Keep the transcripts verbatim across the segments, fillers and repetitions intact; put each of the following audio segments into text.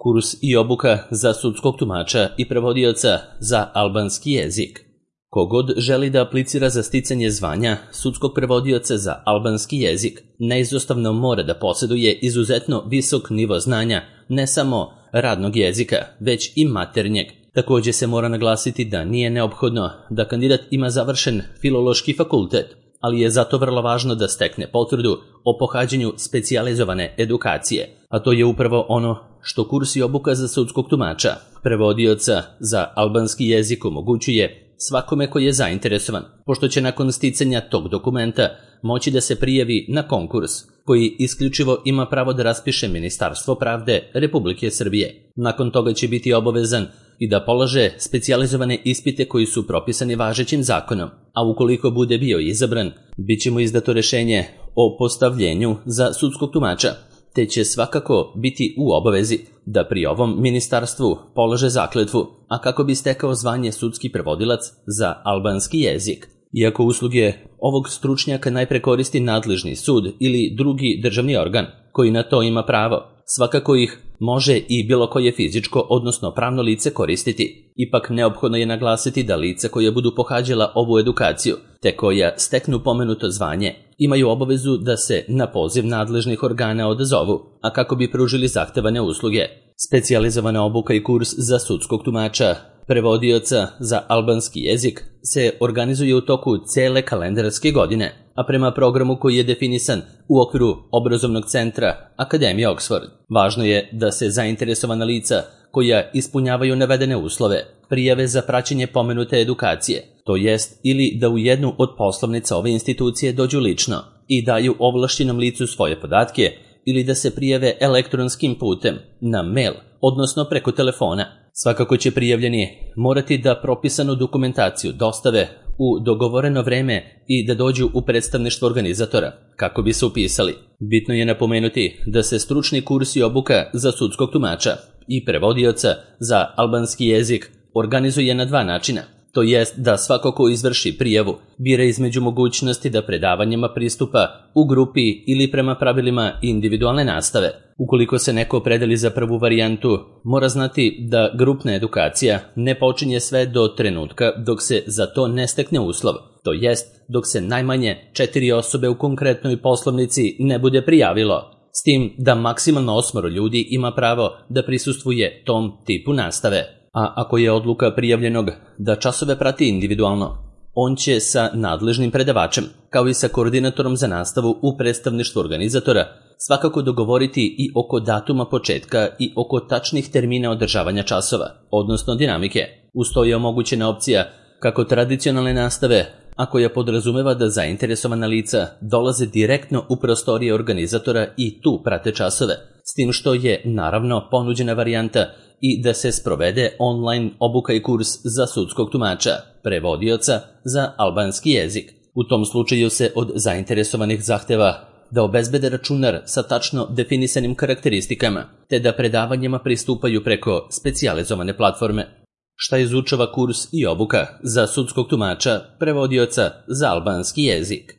Kurs i obuka za sudskog tumača i prevodioca za albanski jezik. Kogod želi da aplicira za sticanje zvanja sudskog prevodioca za albanski jezik, neizostavno mora da posjeduje izuzetno visok nivo znanja ne samo radnog jezika, već i maternjeg. Također se mora naglasiti da nije neophodno da kandidat ima završen filološki fakultet, ali je zato vrlo važno da stekne potvrdu o pohađanju specijalizovane edukacije, a to je upravo ono što kurs i obuka za sudskog tumača, prevodioca za albanski jezik omogućuje svakome koji je zainteresovan, pošto će nakon sticanja tog dokumenta moći da se prijavi na konkurs, koji isključivo ima pravo da raspiše Ministarstvo pravde Republike Srbije. Nakon toga će biti obavezan i da polaže specijalizovane ispite koji su propisani važećim zakonom, a ukoliko bude bio izabran, bit će mu izdato rešenje o postavljenju za sudskog tumača, te će svakako biti u obavezi da pri ovom ministarstvu polaže zakletvu, a kako bi stekao zvanje sudski prevodilac za albanski jezik. Iako usluge ovog stručnjaka najpre koristi nadležni sud ili drugi državni organ koji na to ima pravo, svakako ih može i bilo koje fizičko, odnosno pravno lice koristiti. Ipak neophodno je naglasiti da lice koje budu pohađala ovu edukaciju, te koja steknu pomenuto zvanje, imaju obavezu da se na poziv nadležnih organa odazovu, a kako bi pružili zahtevane usluge. Specijalizovana obuka i kurs za sudskog tumača, prevodioca za albanski jezik se organizuje u toku cele kalendarske godine, a prema programu koji je definisan u okviru obrazovnog centra Akademije Oxford. Važno je da se zainteresovana lica koja ispunjavaju navedene uslove prijave za praćenje pomenute edukacije, to jest ili da u jednu od poslovnica ove institucije dođu lično i daju ovlašćenom licu svoje podatke, ili da se prijave elektronskim putem na mail, odnosno preko telefona. Svakako će prijavljeni morati da propisanu dokumentaciju dostave u dogovoreno vreme i da dođu u predstavništvo organizatora kako bi se upisali. Bitno je napomenuti da se stručni kurs i obuka za sudskog tumača i prevodioca za albanski jezik organizuje na dva načina. To jest da svako ko izvrši prijavu bira između mogućnosti da predavanjima pristupa u grupi ili prema pravilima individualne nastave. Ukoliko se neko opredeli za prvu varijantu, mora znati da grupna edukacija ne počinje sve do trenutka dok se za to ne stekne uslov, to jest dok se najmanje četiri osobe u konkretnoj poslovnici ne bude prijavilo, s tim da maksimalno osmoro ljudi ima pravo da prisustvuje tom tipu nastave. A ako je odluka prijavljenog da časove prati individualno, on će sa nadležnim predavačem, kao i sa koordinatorom za nastavu u predstavništvu organizatora, svakako dogovoriti i oko datuma početka i oko tačnih termina održavanja časova, odnosno dinamike. Uz to je omogućena opcija kako tradicionalne nastave, a koja podrazumeva da zainteresovana lica dolaze direktno u prostorije organizatora i tu prate časove, s tim što je naravno ponuđena varijanta i da se sprovede online obuka i kurs za sudskog tumača, prevodioca za albanski jezik. U tom slučaju se od zainteresovanih zahteva da obezbede računar sa tačno definisanim karakteristikama, te da predavanjima pristupaju preko specijalizovane platforme. Šta izučava kurs i obuka za sudskog tumača, prevodioca za albanski jezik?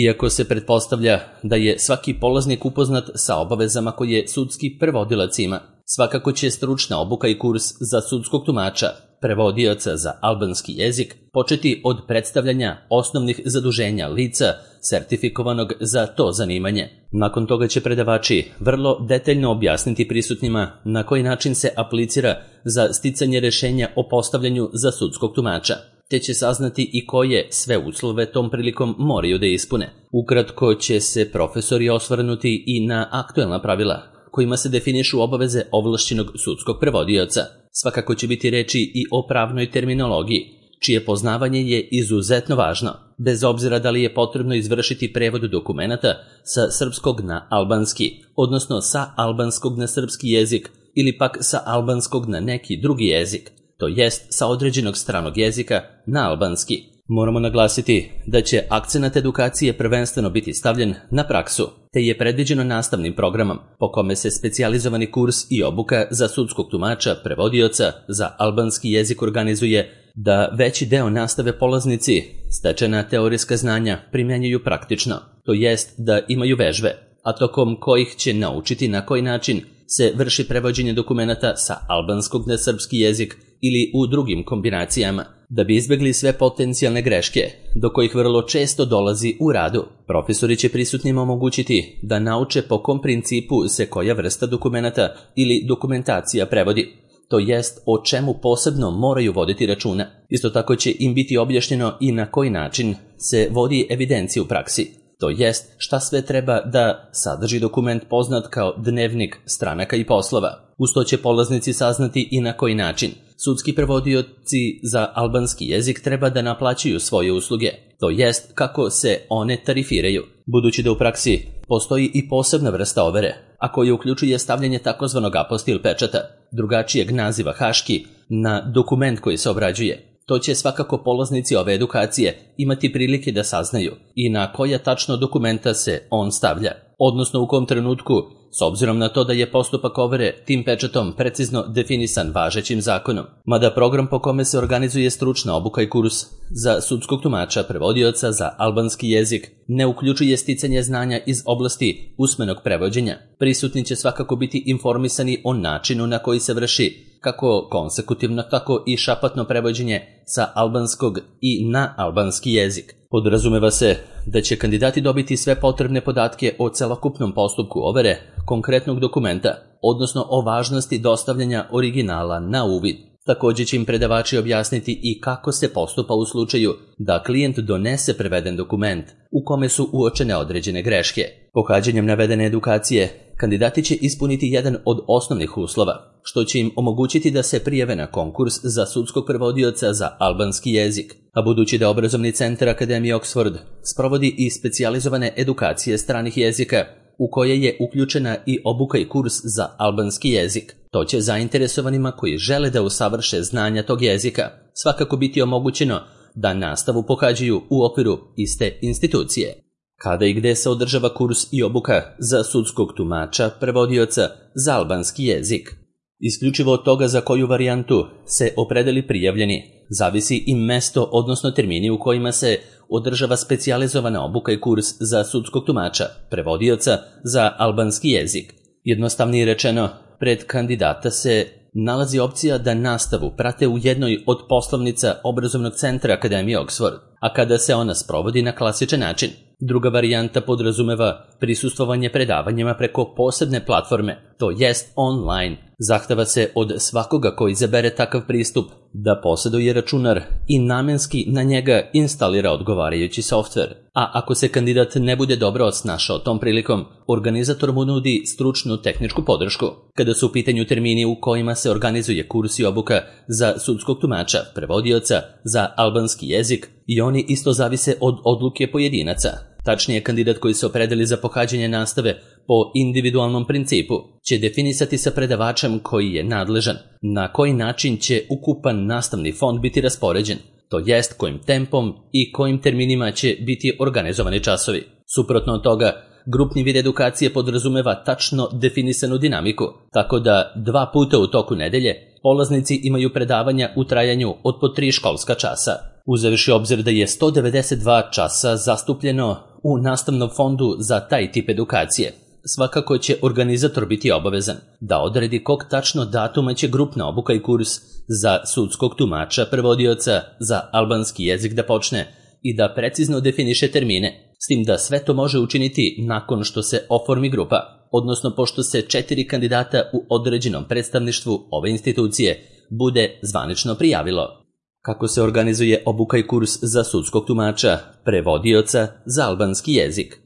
Iako se pretpostavlja da je svaki polaznik upoznat sa obavezama koje sudski prevodilac ima, svakako će stručna obuka i kurs za sudskog tumača, prevodioca za albanski jezik, početi od predstavljanja osnovnih zaduženja lica sertifikovanog za to zanimanje. Nakon toga će predavači vrlo detaljno objasniti prisutnima na koji način se aplicira za sticanje rešenja o postavljanju za sudskog tumača, te će saznati i koje sve uslove tom prilikom moraju da ispune. Ukratko će se profesori osvrnuti i na aktuelna pravila kojima se definišu obaveze ovlašćenog sudskog prevodioca. Svakako će biti reči i o pravnoj terminologiji, čije poznavanje je izuzetno važno, bez obzira da li je potrebno izvršiti prevod dokumenata sa srpskog na albanski, odnosno sa albanskog na srpski jezik ili pak sa albanskog na neki drugi jezik, to jest sa određenog stranog jezika na albanski. Moramo naglasiti da će akcenat edukacije prvenstveno biti stavljen na praksu, te je predviđeno nastavnim programom po kome se specijalizovani kurs i obuka za sudskog tumača, prevodioca za albanski jezik organizuje da veći deo nastave polaznici stečena teorijska znanja primjenjuju praktično, to jest da imaju vežbe, a tokom kojih će naučiti na koji način se vrši prevođenje dokumenata sa albanskog na srpski jezik ili u drugim kombinacijama, da bi izbjegli sve potencijalne greške, do kojih vrlo često dolazi u radu. Profesori će prisutnima omogućiti da nauče po kom principu se koja vrsta dokumenata ili dokumentacija prevodi, to jest o čemu posebno moraju voditi računa. Isto tako će im biti objašnjeno i na koji način se vodi evidencija u praksi, to jest šta sve treba da sadrži dokument poznat kao dnevnik stranaka i poslova. Uz to će polaznici saznati i na koji način sudski prevodioci za albanski jezik treba da naplaćuju svoje usluge, to jest kako se one tarifiraju, budući da u praksi postoji i posebna vrsta overe, a koja uključuje stavljanje takozvanog apostil pečata, drugačijeg naziva haški, na dokument koji se obrađuje. To će svakako polaznici ove edukacije imati prilike da saznaju i na koja tačno dokumenta se on stavlja, odnosno u kom trenutku, s obzirom na to da je postupak overe tim pečatom precizno definisan važećim zakonom. Mada program po kome se organizuje stručna obuka i kurs za sudskog tumača prevodioca za albanski jezik ne uključuje sticanje znanja iz oblasti usmenog prevođenja, prisutni će svakako biti informisani o načinu na koji se vrši kako konsekutivno, tako i šapatno prevođenje sa albanskog i na albanski jezik. Podrazumeva se da će kandidati dobiti sve potrebne podatke o celokupnom postupku overe konkretnog dokumenta, odnosno o važnosti dostavljanja originala na uvid. Također će im predavači objasniti i kako se postupa u slučaju da klijent donese preveden dokument u kome su uočene određene greške. Pohađanjem navedene edukacije, kandidati će ispuniti jedan od osnovnih uslova, što će im omogućiti da se prijave na konkurs za sudskog prevodioca za albanski jezik, a budući da obrazovni centar Akademije Oxford sprovodi i specijalizovane edukacije stranih jezika, u koje je uključena i obuka i kurs za albanski jezik, to će zainteresovanima koji žele da usavrše znanja tog jezika svakako biti omogućeno da nastavu pohađaju u okviru iste institucije. Kada i gde se održava kurs i obuka za sudskog tumača prevodioca za albanski jezik? Isključivo od toga za koju varijantu se opredeli prijavljeni, zavisi i mesto, odnosno termini u kojima se održava specijalizovana obuka i kurs za sudskog tumača prevodioca za albanski jezik. Jednostavnije rečeno, pred kandidata se nalazi opcija da nastavu prate u jednoj od poslovnica obrazovnog centra Akademije Oxford, a kada se ona sprovodi na klasičan način. Druga varijanta podrazumeva prisustvovanje predavanjima preko posebne platforme, to jest online. Zahteva se od svakoga koji izabere takav pristup da posjeduje računar i namenski na njega instalira odgovarajući softver. A ako se kandidat ne bude dobro snašao tom prilikom, organizator mu nudi stručnu tehničku podršku. Kada su u pitanju termini u kojima se organizuje kurs i obuka za sudskog tumača prevodioca za albanski jezik, i oni isto zavise od odluke pojedinaca. Tačnije, kandidat koji se opredeli za pohađanje nastave po individualnom principu će definisati sa predavačem koji je nadležan na koji način će ukupan nastavni fond biti raspoređen, to jest kojim tempom i kojim terminima će biti organizovani časovi. Suprotno od toga, grupni vid edukacije podrazumeva tačno definisanu dinamiku, tako da dva puta u toku nedelje polaznici imaju predavanja u trajanju od po tri školska časa. Uzevši obzir da je sto devedeset dva časa zastupljeno u nastavnom fondu za taj tip edukacije, svakako će organizator biti obavezan da odredi kog tačno datuma će grupna obuka i kurs za sudskog tumača prevodioca za albanski jezik da počne i da precizno definiše termine, s tim da sve to može učiniti nakon što se oformi grupa, odnosno pošto se četiri kandidata u određenom predstavništvu ove institucije bude zvanično prijavilo. Kako se organizuje obuka i kurs za sudskog tumača prevodioca za albanski jezik?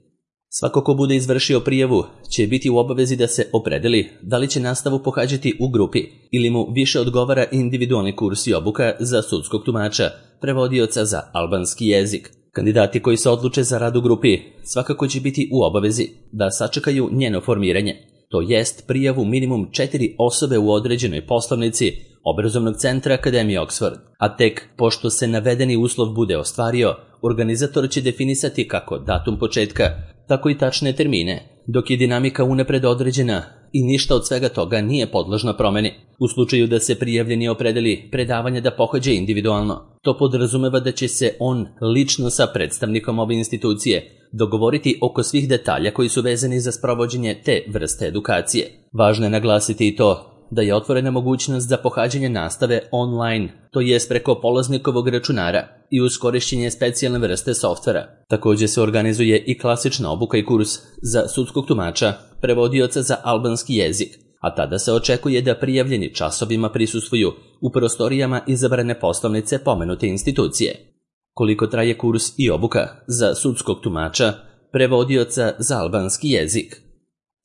Svako ko bude izvršio prijavu će biti u obavezi da se opredeli da li će nastavu pohađati u grupi ili mu više odgovara individualni kurs i obuka za sudskog tumača prevodioca za albanski jezik. Kandidati koji se odluče za rad u grupi svakako će biti u obavezi da sačekaju njeno formiranje, to jest prijavu minimum četiri osobe u određenoj poslovnici obrazovnog centra Akademije Oxford, a tek pošto se navedeni uslov bude ostvario, organizator će definisati kako datum početka, tako i tačne termine, dok je dinamika unapred određena i ništa od svega toga nije podložno promeni. U slučaju da se prijavljeni opredeli predavanje da pohađa individualno, to podrazumeva da će se on lično sa predstavnikom ove institucije dogovoriti oko svih detalja koji su vezani za sprovođenje te vrste edukacije. Važno je naglasiti i to da je otvorena mogućnost za pohađanje nastave online, to jest preko polaznikovog računara i uz korišćenje specijalne vrste softvera. Također se organizuje i klasična obuka i kurs za sudskog tumača, prevodioca za albanski jezik, a tada se očekuje da prijavljeni časovima prisustvuju u prostorijama izabrane poslovnice pomenute institucije. Koliko traje kurs i obuka za sudskog tumača, prevodioca za albanski jezik?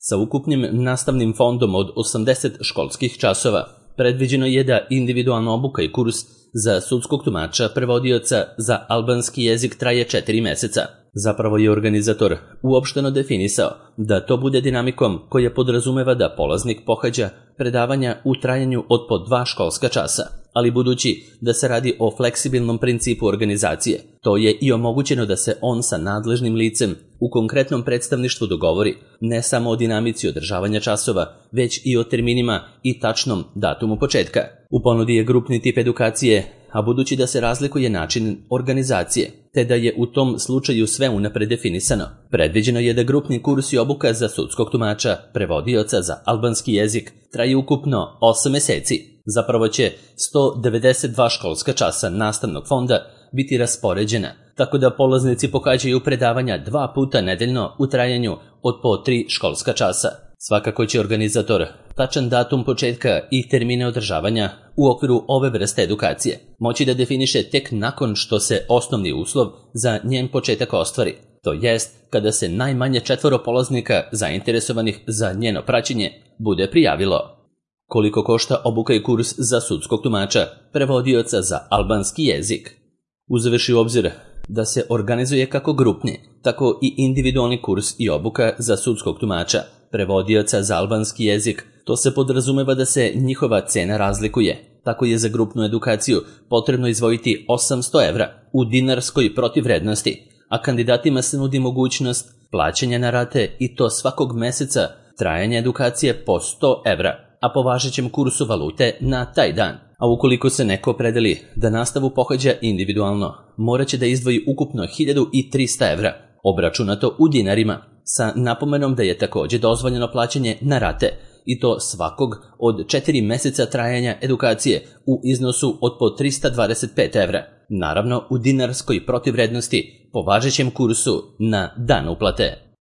Sa ukupnim nastavnim fondom od osamdeset školskih časova, predviđeno je da individualna obuka i kurs za sudskog tumača prevodioca za albanski jezik traje četiri meseca. Zapravo je organizator uopšteno definisao da to bude dinamikom koja podrazumeva da polaznik pohađa predavanja u trajanju od po dva školska časa, ali budući da se radi o fleksibilnom principu organizacije, to je i omogućeno da se on sa nadležnim licem u konkretnom predstavništvu dogovori ne samo o dinamici održavanja časova, već i o terminima i tačnom datumu početka. U ponudi je grupni tip edukacije, a budući da se razlikuje način organizacije, te da je u tom slučaju sve unapred definisano, predviđeno je da grupni kurs i obuka za sudskog tumača, prevodioca za albanski jezik traje ukupno osam meseci. Zapravo će sto devedeset dva školska časa nastavnog fonda biti raspoređena, tako da polaznici pohađaju predavanja dva puta nedeljno u trajanju od po tri školska časa. Svakako će organizator tačan datum početka i termine održavanja u okviru ove vrste edukacije moći da definiše tek nakon što se osnovni uslov za njen početak ostvari, to jest kada se najmanje četvoro polaznika zainteresovanih za njeno praćenje bude prijavilo. Koliko košta obuka i kurs za sudskog tumača, prevodioca za albanski jezik? Uzevši u obzir da se organizuje kako grupni, tako i individualni kurs i obuka za sudskog tumača, prevodioca za albanski jezik, to se podrazumeva da se njihova cena razlikuje. Tako je za grupnu edukaciju potrebno izdvojiti osamsto evra u dinarskoj protivvrednosti, a kandidatima se nudi mogućnost plaćanja na rate i to svakog meseca trajanja edukacije po sto evra, a po važećem kursu valute na taj dan. A ukoliko se neko opredeli da nastavu pohađa individualno, morat će da izdvoji ukupno hiljadu trista evra, obračunato u dinarima, sa napomenom da je također dozvoljeno plaćanje na rate, i to svakog od četiri meseca trajanja edukacije u iznosu od po trista dvadeset pet evra, naravno u dinarskoj protivvrednosti po važećem kursu na dan uplate.